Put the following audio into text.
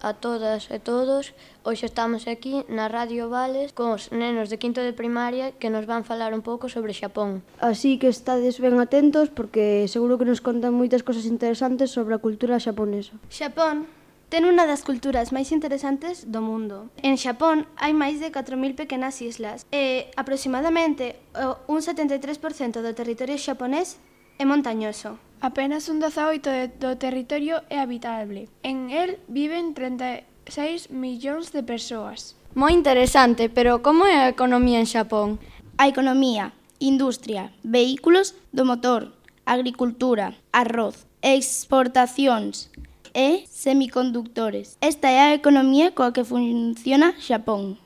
a todas e todos. Hoxe estamos aquí na Radio Vales cos nenos de quinto de primaria que nos van falar un pouco sobre Xapón. Así que estades ben atentos porque seguro que nos contan moitas cosas interesantes sobre a cultura xaponesa. Xapón ten unha das culturas máis interesantes do mundo. En Xapón hai máis de 4.000 pequenas islas e aproximadamente un 73% do territorio xaponés é montañoso. Apenas un 18% do territorio é habitable. En el viven 36 millóns de persoas. Moi interesante, pero como é a economía en Xapón? A economía, industria, vehículos do motor, agricultura, arroz, exportacións e semiconductores. Esta é a economía coa que funciona Xapón.